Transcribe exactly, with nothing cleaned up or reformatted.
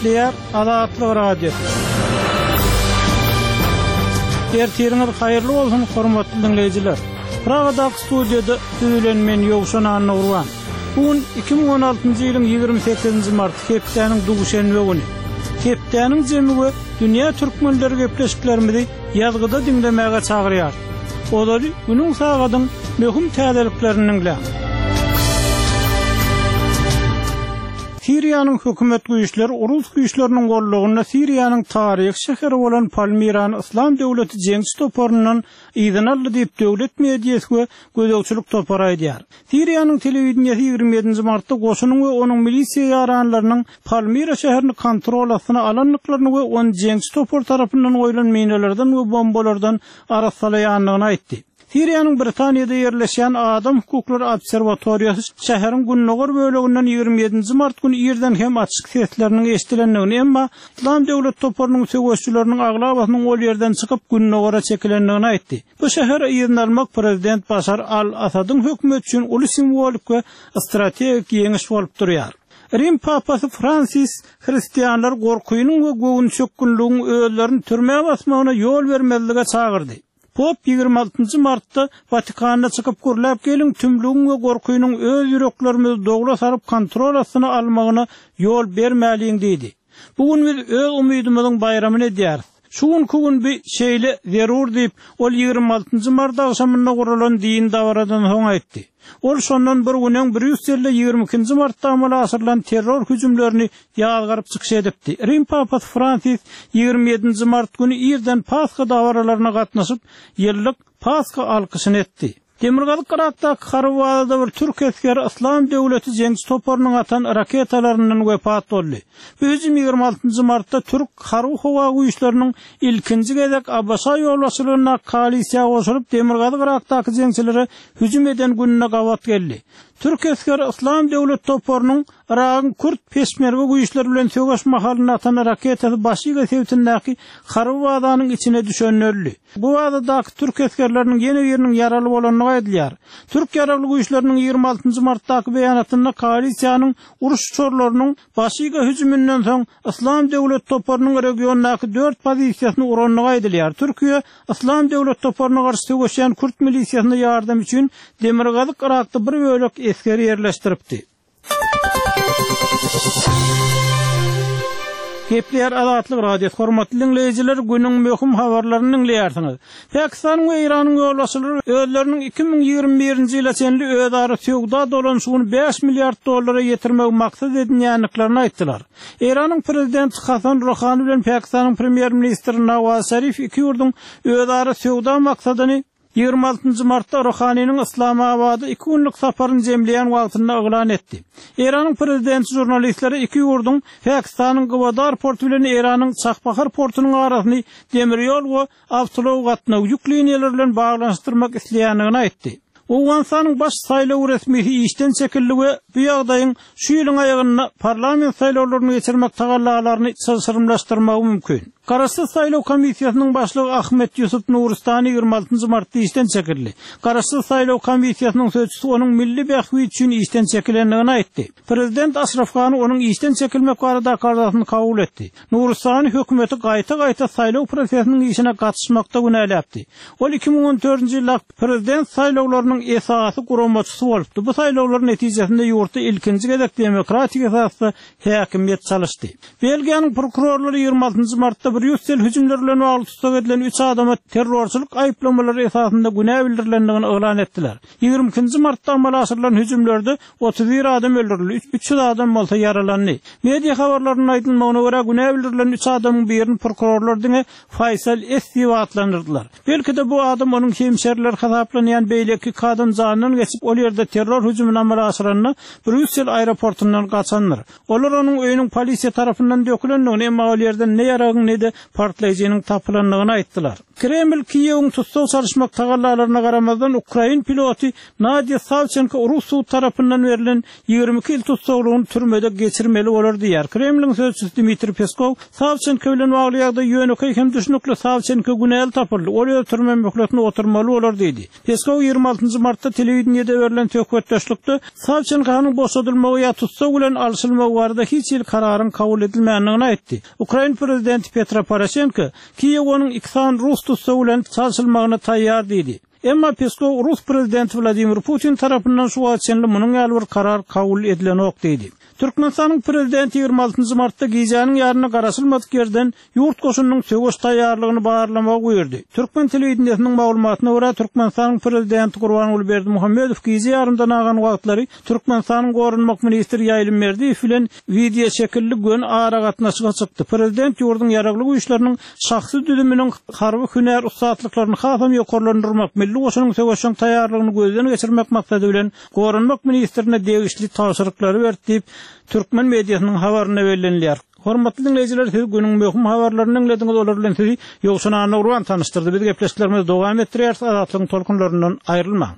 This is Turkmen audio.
Gepleýär Azatlyk Radiosy. Ertiriňiz haýyrly bolsun hormatly dinleýjiler. Pragadaky studiýada siz bilen men Ýowşan Annagurban. Bu gün iki müň on altynjy ýylyň ýigrimi sekizinji mart hepdäniň duşenbe güni. Hepdäniň jemi we dünýä türkmenleri gepleşiklerimizi ýazgyda diňlemäge çagyrýar. Ozaly günüň sagadyň möhüm täzeliklerini diňläň. Siriýanyň hökümet güýçleri Rus güýçleriniň gollugynda Siriýanyň taryhy şäheri bolan Palmirany Yslam döwleti jeňçi toparyndan yzyna aldy diýip döwlet mediasy we gözegçilik topary aýdýar. Siriýanyň telewideniýesi ýigrimi ýedinji martda goşunyň we onuň milisiýa ýaranlarynyň Palmira şäherini kontrol astyna alandyklaryny we ony jeňçi topar tarapyndan goýlan minalardan we bombalardan arassalaýandygyny aýtdy. Siriýanyň Britaniýada ýerleşýän Adam hukuklary obserwatoriýasy şäheriň gündogar böleginden ýigrimi ýedinji mart güni irden hem açyk sesleriniň eşidilendigini, emma Yslam döwlet toparynyň söweşçileriniň aglabasynyň ol ýerden çykyp gündogara çekilendigini aýtdy. Bu şähere yzyna almak prezident Başar al-Asadyň hökümeti üçin uly simwolik we strategik ýeňiş bolup durýar. Rim papasy Fransis hristianlar gorkynyň we göwünçökgünligiň özlerini türmä basmagyna ýol bermezlige çagyrdy. Pop ýigrimi altynjy martda Watikanda çykyp gürläp geliň tümlügiň we gorkynyň öz ýüreklerimizi dogla saryp kontrol astyna almagyna ýol bermäliň diýdi. Bu gün biz öz umydymyzyň baýramyny edýäris. Şu günkü gün bir şeýle zerur diýip, ol ýigrimi altynjy mart agşamynda guralan din dabaradan soň aýtdy. Ol şondan bir gün öň Brýusselde ýigrimi ikinji martda amala aşyrylan terror hüjümlerini ýazgaryp çykyş edipdi. Rim papasy Fransis ýigrimi ýedinji mart güni irden Pasha dabaralaryna gatnaşyp, ýyllyk Pasha alkyşyny etdi. Demirgazyk Irakdaky harby bazada bir türk esgeri Yslam döwleti jeňçi toparynyň atan raketalaryndan wepat boldy. Bu hüjüm ýigrimi altynjy martda türk harby howa güýçleriniň ilkinji gezek ABŞ ýolbaşçylygynda koalisiýa goşulyp Demirgazyk Irakdaky jeňçilere hüjüm eden gününe gabat geldi. Türk esgeri Yslam döwlet toparynyň Iragyň Kürt peşmerge güýçleri bilen söweş mahalynda atan raketasy Başiga sebitindäki harby bazanyň içine düşenini öldi. Bu bazadaky türk esgerleriniň ýene biriniň ýaraly bolandygy aýdylýar. Türk ýaragly güýçleriniň ýigrimi altynjy martdaky beýanatynda koalisiýanyň uruş uçarlarynyň Başiga hüjüminden soň Yslam döwlet toparynyň regiondaky dört pozisiýasyny urandygy aýdylýar. Türkiýe Yslam döwlet toparyna garşy söweşýän Kürt milisiýasyna ýardam üçin Demirgazyk Irakda bir bölek esgeri ýerleşdiripdi. Gepleýär Azatlyk Radiosy. Hormatly dinleýjiler, günüň möhüm habarlaryny dinleýärsiňiz. Pakistanyň we Eýranyň ýolbaşçylary özleriniň iki müň ýigrimi birinji ýyla çenli özara söwda dolanyşygyny bäş milliard dollara ýetirmegi maksat edinýändiklerini aýtdylar. Eýranyň prezidenti Hasan Ruhani bilen Pakistanyň premýer-ministri Nawaz Şarif iki ýurduň özara söwda maksadyny ýigrimi altynjy martda Ruhaniniň Islamabada iki günlük saparyny jemleýän wagtynda yglan etdi. Eýranyň prezidenti žurnalistleri iki ýurduň Pakistanyň Gwadar porty bilen Eýranyň Çahbahar portunyň arasyny demir ýol we awtoulag gatnaw ýük liniýalary bilen baglanyşdyrmak isleýändigini aýtdy. Owganystanyň baş saýlaw resmisi işden çekildi we bu ýagdaýyň şu ýylyň aýagynda parlament saýlawlaryny geçirmek tagallalaryny çylşyrymlaşdyrmagy mümkin. Garaşsyz saýlaw komissiýasynyň başlygy Ahmet Ýusuf Nuristany ýigrimi altynjy martda işden çekildi. Garaşsyz saýlaw komissiýasynyň sözçüsi onuň milli bähbit üçin işden çekilendigini aýtdy. Prezident Aşraf Gani onuň işden çekilmek baradaky arzasyny kabul etdi. Nuristany hökümeti gaýta-gaýta saýlaw prosesiniň işine gatyşmakda günäläpdi. Ol iki müň on dördünji ýylda prezident saýlawlarynyň esasy guramaçysy bolupdy. Bu saýlawlaryň netijesinde ýurtda ilkinji gezek demokratik esasda häkimiýet çalyşdy. Belgiýanyň prokurorlary ýigrimi altynjy martda Brýussel hüjümleri bilen bagly tussag edilen üç adama terrorçylyk aýyplamalary esasynda günä bildirilendigini yglan etdiler. Ýigrimi ikinji martda amala aşyrylan hüjümlerde otuz bir adam öldürildi, üç ýüz adam bolsa ýaralandy. Media habarlarynyň aýdylmagyna görä günä bildirilen üç adamyň birini prokurorlar diňe Faysal S diýip atlandyrdylar. Belki-de bu adam onuň hemşeriler hasaplanýan beýleki iki adam jandan geçip ol ýerde terror hüjümini amala aşyranda Brýussel aeroportundan gaçandyr. Olar onuň öýüniň polisiýa tarapyndan dökülendigini, emma ol ýerden ne ýaragyň ne-de partlaýjynyň tapylandygyny aýtdylar. Kreml Kiýewiň tussag çalyşmak tagallalaryna garamazdan Ukrain piloty Nadýa Sawçenko Rus sud tarapyndan berlen ýigrimi iki ýyl tussaglygyny türmede geçirmeli bolar diýýär. Kremliň sözçüsi Dmitriý Peskow Sawçenko bilen bagly ýagdaý ýönekeý hem düşnükli Sawçenko günäli tapyldy. Ol öz türme möhletini oturmaly bolar diýdi. Peskow ýigrimi altynjy martda telewideniýede berlen söhbetdeşlikde Sawçenko Türkmenistanyň boşadylmagy ýa tussag bilen alşylmagy barada hiç hili kararyň kabul edilmändigini aýtdy. Ukrain prezidenti Petro Poroşenko Kiýew onuň iki sany rus tussagy bilen çalşylmagyna taýýar diýdi. Emma Peskow rus prezidenti Wladimir Putin tarapyndan şu wagta çenli munuň ýaly bir karar kabul edilenok diýdi. Türkmenistanyň prezidenti ýigrimi altynjy martda gijäniň ýarynda garaşylmadyk ýerden ýurt goşunynyň söweş taýýarlygyny barlamagy buýurdy. Türkmen telewideniýesiniň maglumatyna görä, Türkmenistanyň prezidenti Gurbanguly Berdimuhamedow gije ýarymdan agan wagtlary Türkmenistanyň goranmak ministri Ýaýlym Berdiýew bilen wideoşekilli göni aragatnaşyga çykdy. Prezident ýurduň Ýaragly Güýçleriniň şahsy düzüminiň harby hünär ussatlyklaryny hasam ýokarlandyrmak, milli goşunyň söweşjeň taýýarlygyny gözden geçirmek maksady bilen Goranmak ministrine degişli tabşyryklary berdi diýip, türkmen mediasynyň habarynda bellenilýär. Hormatly diňleýjiler, siz günüň möhüm habarlaryny diňlediňiz, olar bilen sizi Ýowşan Annagurban tanyşdyrdy. Biz gepleşiklerimizi dowam etdirýäris, Azatlygyň tolkunlaryndan aýrylmaň!